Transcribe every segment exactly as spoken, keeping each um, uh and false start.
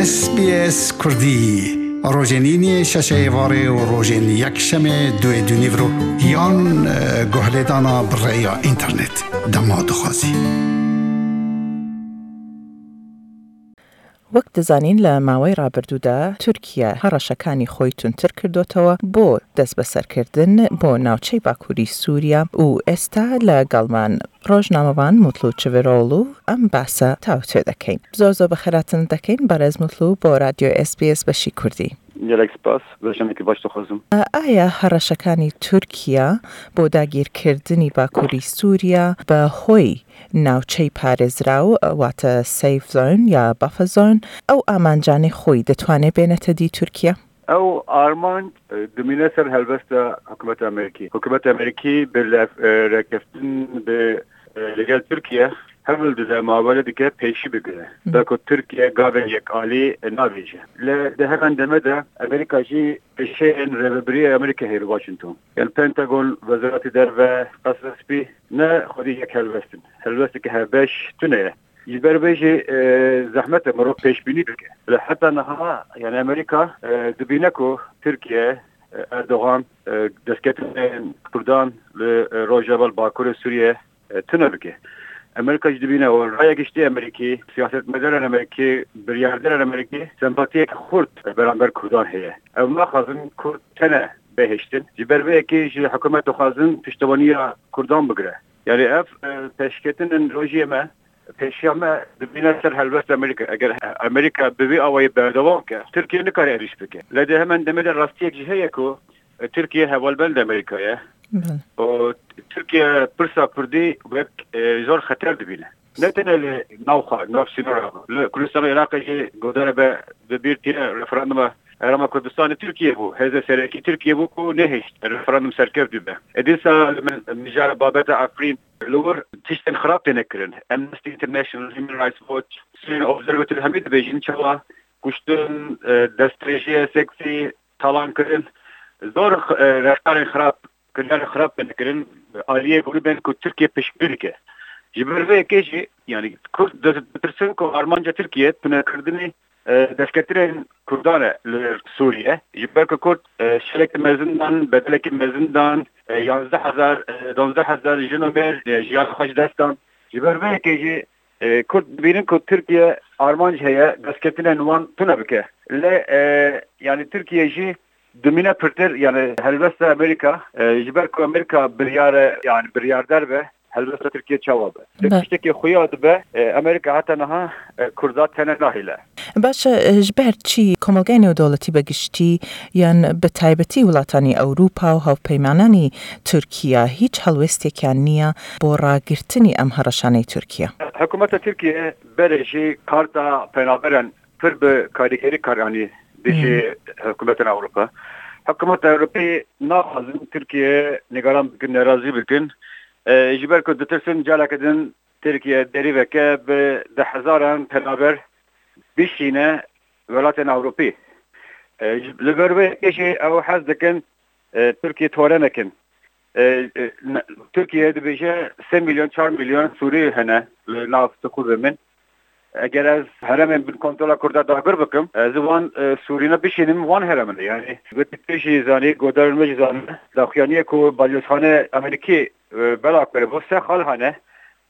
S B S Kurdî, rojên îniyê şeşê êvarê û rojên yekşemê duê dûnîvro yan, e, guhlêdana bi rêya înternet. Dema dixwazî. وەک دەزانین، لە ماوەی ڕابردوودا تورکیا هەڕەشەکانی خۆی تونتر کردوتەوە بۆ دەست بەسەرکردن بۆ ناوچەی باکووری سووریا و ئێستا لەگەڵمان ڕۆژنامەوان موتلو چڤرۆڵو ئەم باسە تاوتوێ دەکەین. زۆر زۆر بە خێراتن دەکەین، بەڕێز موتلو، بۆ رادیۆ S B S بەشی کوردی. Gelek spas, weşanekî baş dixwazim. ئایا هەڕەشەکانی تورکیا بۆ داگیرکردنی باکووری سووریا بە هۆی ناوچەی پارێزراو، واتە safe zone یا buffer zone، ئەو ئامانجانەی خۆی دەتوانێت بێنێتە دی تورکیا؟ Ew armanc, e, dimîne ser helwesta hikûmeta Amerîkî. Hikûmeta Amerîkî bi lev-, e, rêkeftin bi, e, li gel Tirkiye hewl dide, muamele dike pêşî bigire. Hı. Belku Tirkiye gavên yekalî, e, navêje. Lê di heman demê de Amerîka jî pêşeyên rêvebiriyê Amerîkayê li Washington. Yan Pentagon, Wezareta Derve, Qesra Spî ne xwedî yek helwest in. Helwesteke hevbeş tune ye. Ji ber vê jî, e, zehmet e mirov pêşbînî bike. Lê heta niha, yani Amerîka, e, dibîne ku Tirkiye, e, Erdogan, e, destketinên Kurdan li, e, rojeva li bakurê Sûriye, e, tune bike. Amerîka jî dibîne û raya giştî Amerîkî, siyasetmedarên Amerîkî, biryardarên Amerîkî sempatiyek xurt beramber Kurdan heye. Ew naxwazin Kurd tene bihiştin. Ji ber vê yekê ji hikûmet dixwazin piştevaniya Kurdan bigire. Yani ev, e, pêşketinên rojiyê me, pêşiya me dibîne ser helwest Amerîka. Eger Amerîka bi vî awayî berdewam ke, Tirkiye nikare êrîş bike. Lê di hemen demê de rastiyek jî heye ku, e, Tirkiye hevalbend Amerîka ye. Belê. Û Tirkiye pirsa Kurdî wek, e, zor xeter dibîne. Ne tenê li nav xwe, nav sînora, li Kurdistana Iraqê jî godare be, bi bîr tîne referanduma Herêma Kurdistanê Tirkiye bû. Hêzê serekî Tirkiye bû ku nehişt referandum serkeftî be. E, dîsa li min mijara babeta Efrîn li wir tiştên xirab têne kirin. Amnesty International, Human Rights Watch, Syrian Observatory hemî dibêjin çawa kuştin, e, destdirêjiyê seksî, talan kirin. Zor, e, reftarên xirab, kiryarên xirab têne kirin aliyê grûbên ku Tirkiye piştgirî dike. Ji ber vê yekê jî, yani Kurd di-, ditirsin ku armanca Tirkiye tunekirdinê, e, destketinên Kurdan e li Sûriye. Ji ber ku Kurd, e, şereke mezin dan, bedeleke mezin dan, e, yanzdeh hezar, e, danzdeh hezar jin û mêr, e, jiyana xwe ji dest dan. Ji ber vê yekê jî, e, Kurd dibînin ku Tirkiye armanc heye destketinên wan tune bike. Lê, e, yani Tirkiye jî dimîne pirtir, yani helwesta Amerîka, e, ji ber ku Amerîka biryar e, yani biryardar be, helwesta Tirkiye çawa be? Be. Tiştekî xuya dibe, e, Amerîka heta niha, e, Kurda tene nahêle. باشە، ji ber çi کۆمەڵگای نێودەوڵەتی بە گشتی یان بە تایبەتی وڵاتانی ئەوروپا و هاوپەیمانانی تورکیا هیچ هەڵوێستێکیان نییە بۆ ڕاگررتنی ئەم هەڕەشانەی تورکیا؟ Hikûmeta Tirkiye berê jî karta penaberan pir bi karîgerî kar anî dijî Hmm. hikûmetên Ewropa. Hikûmeta Ewropî naxwazin Tirkiye nîgaran bikin, nerazî bikin. E, ji ber ku ditirsin careke din Tirkiye derî veke bi deh hezaran penaber bişîne welatên Ewropî. E, ji, li ber vê yekê jî ew hez dikin, e, Tirkiye tore nekin. E, e, ne, Tirkiye dibêje sê milyon, çar milyon Sûrî hene li nav Sixûrê min. Eger ez herêmên bin kontrola Kurda dagir bikim, ez ê wan, e, Sûrîne bişînim, wan herêmine. Yani, wekî tu jî zanî, guhdarên me jî zanî, daxuyaniyê ku balyozxane Amerîkî, e, bela kiribo, se xal hene.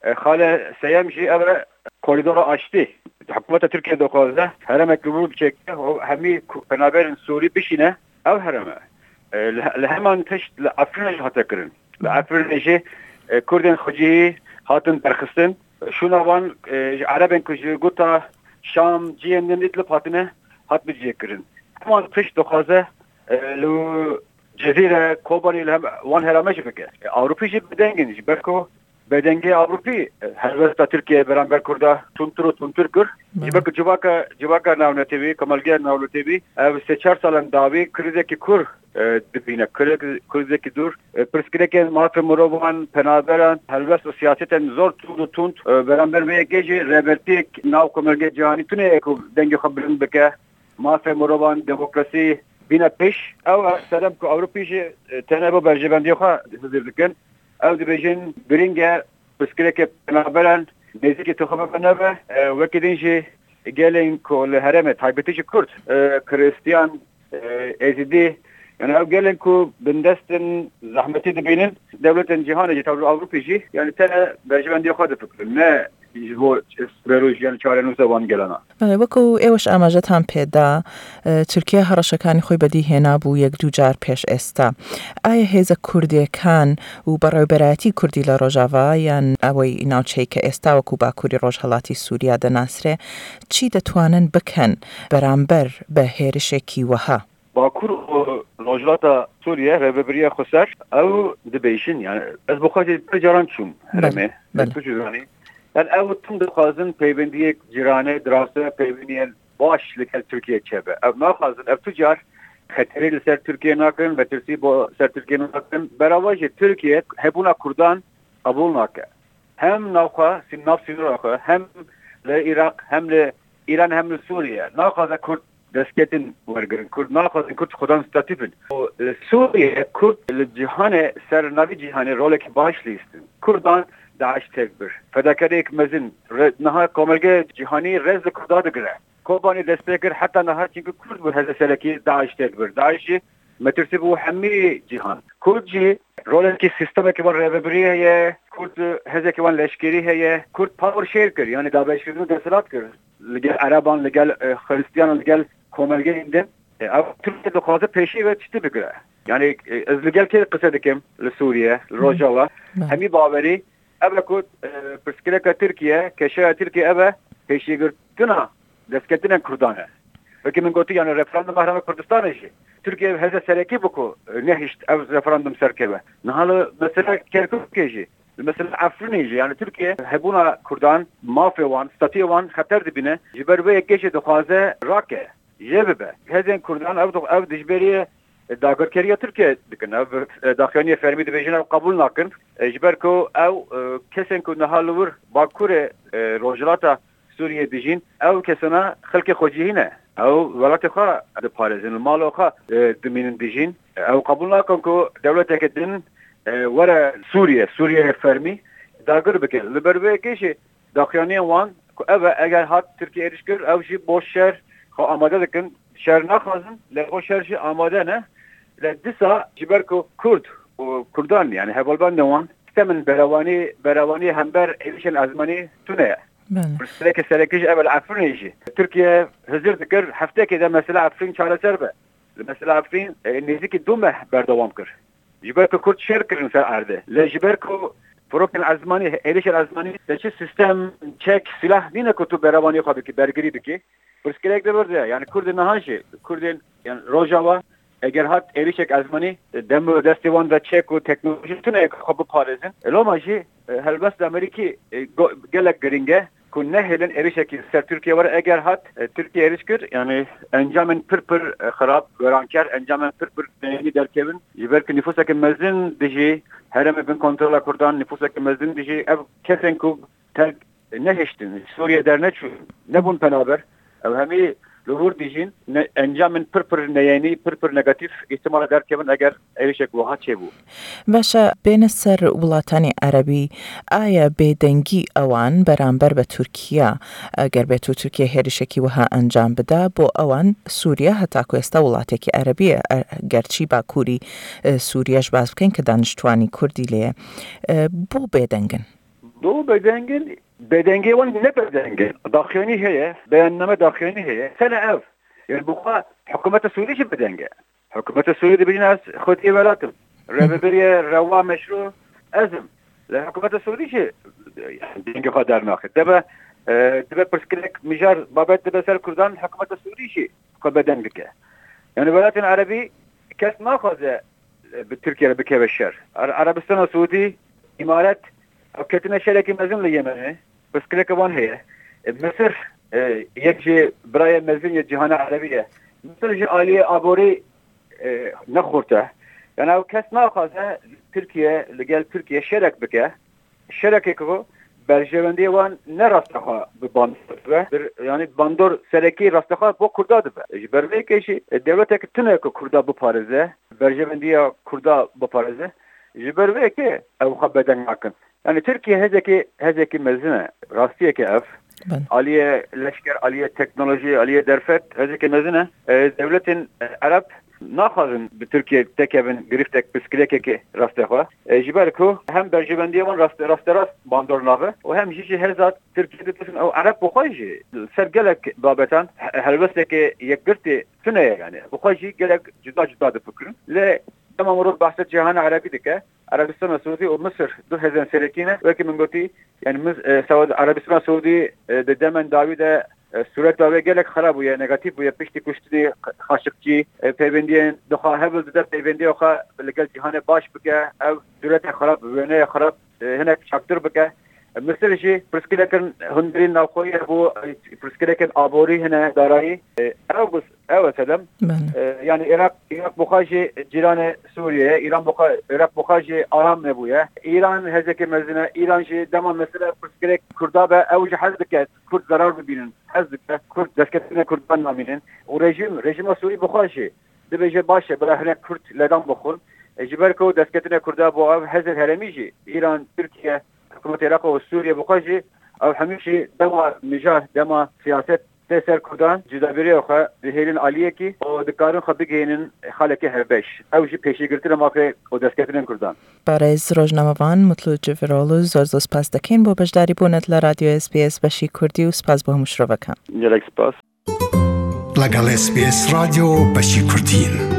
E, xale seyem jî ev e, koridora aştî. Hikûmeta Tirkiye dixwaze herêmek li wir biçêke û hemî ku-, penaberên Sûrî bişîne ev herême. E, li, li heman tişt li Efrînê jî hate kirin. Li Efrînê jî, e, Kurdên xwecihî hatin derxistin. Şûna wan, e, ji Erebên ku ji guta Şam, cihên din Îdlib hatine, hat bicihê kirin. Heman tişt dixwaze, e, li Cezîre, Kobanî li hem wan herême jî bike. E, Ewropî jî bêdeng in, ji ber ku bêdengê Ewropî, e, helwesta Tirkiye beramber Kurda tundtir û tundtir kir. Ji ber ku civaka, civaka navnetewî, komelgeya navnetewî, ev sê çar salan dawî krîzekî kûr, e, dibîne. Krîz-, krîzekî dûr, e, pirsgirêkên mafê mirovan, penaberan, helwest û siyasetên zor tund û tund, e, beramber vê yekê jî rêbertiyek nav komelgê cîhanî tune ye ku dengê xwe bilind bike. Mafê mirovan, demokrasî bîne pêş. Ew, e, sedem ku Ewropî jî, e, tenê bo berjevendiyê xwe hizir dikin. Ew dibêjin, girîng e pirsgirêkê penaberan nêzîkî tixwe bibe nebe. E, wekî din jî Gelên ku li herêmê, taybetî jî Kurd, e, Kristiyan, e, Êzidî, yani ew gelên ku bindest in, zehmetî dibînin, dewletên cîhanê jî, tevlî Ewropî jî, yani tenê berjewendiya xwe difikirin, ne ji bo sibê roj, yani çarenûsa wan gelana. Belê، وەکو ئێوەش ئاماژەتان پێدا، ئە، تورکیا هەڕەشەکانی خۆی بەدی هێنا بوو یەک دوو جار پێش ئێستا. ئایا هێزە کوردیەکان و بەڕێوەبەرایەتی کوردی لە ڕۆژاڤا، یان ئەوەی ناوچەی کە ئێستا وەکو باکووری ڕۆژهەڵاتی سووریا دەناسرێ، چی دەتوانن بکەن بەرامبەر بە هێرشێکی وەها؟ باکوور û rojhilata Sûriye rêvebiriya xweser ew dibêjin, yani ez bi xwe jî pir caran çûm herêmê, tu jî zanî. Yani ew tim dixwazin peywendiyek cîranê, dirase peywendiyên baş li gel Tirkiye çêbe. Ew naxwazin, ev tu car xeterî li ser Tirkiye nakin, metirsî bo ser Tirkiye nakin. Berava jî Tirkiye hebûna Kurdan qebûl nake. Hem navxwe, sî-, nav sînora xwe, hem li Iraq, hem li Îran, hem li Sûriye. Naxwaze Kurd destketin wergirin. Kurd naxwazin Kurd xwedan statî bin. Û li Sûriye Kurd li cîhanê, ser navî cîhanê rolekî baş lîstin. Kurdan DAIŞ têk bir. Fedakariyek mezin. Re-, niha komelge cîhanî rêz li Kurda digire. Kobanî dest pê kir heta niha, çimkî Kurd bû hêza serekî DAIŞ têk bir. DAIŞ jî metirsî bû hemî cîhan. Kurd jî rolekî, sîstemekî wan rêvebirî heye. Kurd hêzekî wan leşkerî heye. Kurd power share kir, yani dabeşkirin û desthilat kir. Li gel Ereban, li gel, e, Xristiyanan, li gel komelgeyên din. E, ev Tirkiye dixwaze pêşî ve tiştî bigire. Yani, e, ez li gel kê qise dikim? Li Sûriye, li Rojava. Hemî bawerî ev e ku, e, pirsgirêka Tirkiye, keşeya Tirkiye ev e, pêşîgirtina destketinên Kurdan e. Wekî min gotî, yani referanduma Herêma Kurdistanê jî Tirkiye hêza serekî bû ku, e, nehişt ev referandum serkeve. Niha li mesela Kerkûkê jî, li mesela Efrînê jî, yani Tirkiye hebûna Kurdan, mafê wan, statûyê wan xeter dibîne. Ji ber vê yekê jî dixwaze rake, jê bibe. Hêzên Kurdan ev, ev dijberiyê dagirkeriya Tirkiye dikin. Ev, e, daxuyaniyê fermî dibêjin, ev qebûl nakin. E, ji ber ku ew, e, kesên ku niha li wir bakurê, e, rojhilata Sûriyê dijîn, ew kesana xelkê xwecihî ne. Ew welatê xwe diparêzin, li mala xwe, e, dimînin dijîn. Ew qebûl nakin ku dewleteke din, e, were Sûriye, Sûriye fermî dagir bike. Li ber vê yekê jî daxuyaniyên wan ku ev e, eger hat Tirkiye êrîş kir, ew jî bo şer xwe amade dikin. Şer naxwazin, lê bo şer jî amade ne. Lê dîsa ji ber ku Kurd û Kurdan, yani hevalbendên wan, sistemin berewanî, berewanî hember êrîşên ezmanî tune ye. Belê. Pirsgirêkê serekî jî ev e, li Efrînê jî Tirkiye hizir dikir, hefteyekê de mesela Efrîn çareser be. Li mesela Efrîn, e, nêzîkî du meh berdewam kir. Ji ber ku Kurd şer kirin ser erdê. Lê ji ber ku firokên ezmanî, êrîşên ezmanî, te çi sîstem, çek, sîlah nîne ku tu berewanî xwe bikî, bergirî bikî. Pirsgirêk di vir de ye. Yani Kurdên niha jî, Kurdên, yani Rojava, eger hat êrîşek ezmanî, dem û destê wan de çek û teknolojî tune ye ku xwe biparêzin. E, loma jî, e, helbest Amerîkî, e, go-, gelek girîng e ku nehêlin êrîşekî ser Tirkiye were. Eger hat, e, Tirkiye êrîş kir, yani encamên pir pir, e, xirab, weranker, encamên pir pir neyînî derkevin. Ji ber ku nifûsekî mezin dijî herêmê bin kontrola Kurdan, nifûsekî mezin dijî ev kesên ku terk nehiştin, ji Sûriye derneçûn, nebûn penaber. Ew hemî li wir dijîn, ne, encamên pir pir neyênî, pir pir negatîf îhtimala derkevin eger êrişek wiha çêbû. باشە، بێنە سەر وڵاتانی عەرەبی، ئایا بێدەنگی ئەوان بەرامبەر بە تورکیا، ئەگەر بێت و تورکیا هێرشێکی وەها ئەنجام بدا، بۆ ئەوان سووریا هەتاکو ئێستا وڵاتێکی عەرەبیە، ئە-، گەرچی باکووری، ئە، سووریاش باس بکەین کە دانیشتوانی کوردی لێیە، ئە، بۆ بێدەنگن؟ بۆ بێدەنگن؟ بێدەنگی wan ne bêdeng in. Daxuyanî heye, beyanname daxuyanî heye. Tene ev. Yani bi xwe hikûmeta Sûrî jî bêdeng e. Hikûmeta Sûrî dibêjin ez xwediyê welat im. Rêvebiriyê rewa meşrû ez im. Lê hikûmeta Sûrî jî, yani, dengê xwe dernaxe. Debe, e, dibe pirsgirêk mijar babet dibe ser Kurdan, hikûmeta Sûrî jî xwe bêdeng dike. Yani welatên Erebî kes naxwaze, e, bi Tirkiye re bikeve şer. Are-, Erebistana Sûdî, Îmaret, ew ketine şerekî mezin li Yemenê. Pirsgirêka wan heye. E, Misir, e, yek ji birayê mezin yê cîhana Erebî ye. Misir ji aliyê aborî, e, ne xurt e. Yani ew kes naxwaze Tirkiye, li gel Tirkiye şerek bike. Şerekê ku berjewendiyê wan ne rastexwe bi bandor dibe. Bir, yani bandor serekî rastexwe bo Kurda dibe. Ji ber vê yekê jî, e, dewletek tune ku Kurda biparêze, berjewendiya Kurda biparêze, ji ber vê yekê ew xwe bêdeng nakin. Yani Tirkiye hêzekî, hêzekî mezin e. Rastiyeke ev. Aliyê leşker, aliyê teknolojî, aliyê derfet hêzeke mezin e. E, dewletên, e, Ereb naxwazin bi Tirkiye tekevin girîftek, pirsgirêkekê rastexwe. E, ji ber ku hem berjewendiyê wan rast-, rasterast bandor nabe û hem jî ji hêza Tirkiye ditirsin. Ew Ereb bi xwe jî li ser gelek babetan he-, helwesteke yekgirtî tune ye, yani bi xwe jî gelek cuda cuda difikirin. Lê dema mirov behsa cîhana Erebî dike, Erebistana Siûdî û Misir du hêzên serekî ne. Wekî min gotî, yani Mis-, e, Saûd-, Erebistana Siûdî, e, di demên dawî de, e, sûreta wê gelek xerab bûye, negatîf bûye, piştî kuştinê Xaşiqçî, e, peywendiyên dixwe hewl dide peyvendiya xwe li gel cîhanê baş bike, ew sûreta xerab, wêneya xerab, e, hinek çaktir bike. E, Misir jî pirsgirêkên hundirî navxweyî hebû, e, pirsgirêkên aborî hene, darayî. E, ew bû, ew e sedem. E, yani Iraq, Iraq bi xwe jî cîranê Sûriye ye. Îran bi xwe, Iraq bi xwe jî aram nebûye. Îran hêzeke mezin e. Îran jî dema mesela pirsgirêk Kurda be, ew jî hez dike Kurd zerar bibînin. Hez dike Kurd, destketina Kurdan namînin. Û rejîm, rejîma Sûrî bi xwe jî dibêje baş e, bila hinek Kurd ledan bixwin. E, ji ber ku destketina Kurda bo ev hêzên herêmî jî, Îran, Tirkiye, hikûmetê Iraq û Sûriye bi xwe jî, ew hemî jî dema mijar, dema siyaset tê ser Kurdan, cudabîriya xwe dihêlin aliyekî û dikarin xwe bigihînin xalekê hevbeş. Ew jî pêşîgirtina mafê û destketinên Kurdan. Berêz rojnamevan Mutlu Civiroğlu, zor zor spas dikin bo beşdarî bûnet li Radyo S B S beşî Kurdî û spas bo hemû şirovekan. Gelek spas. لەگەڵ S B S رادیۆ بەشی کوردین.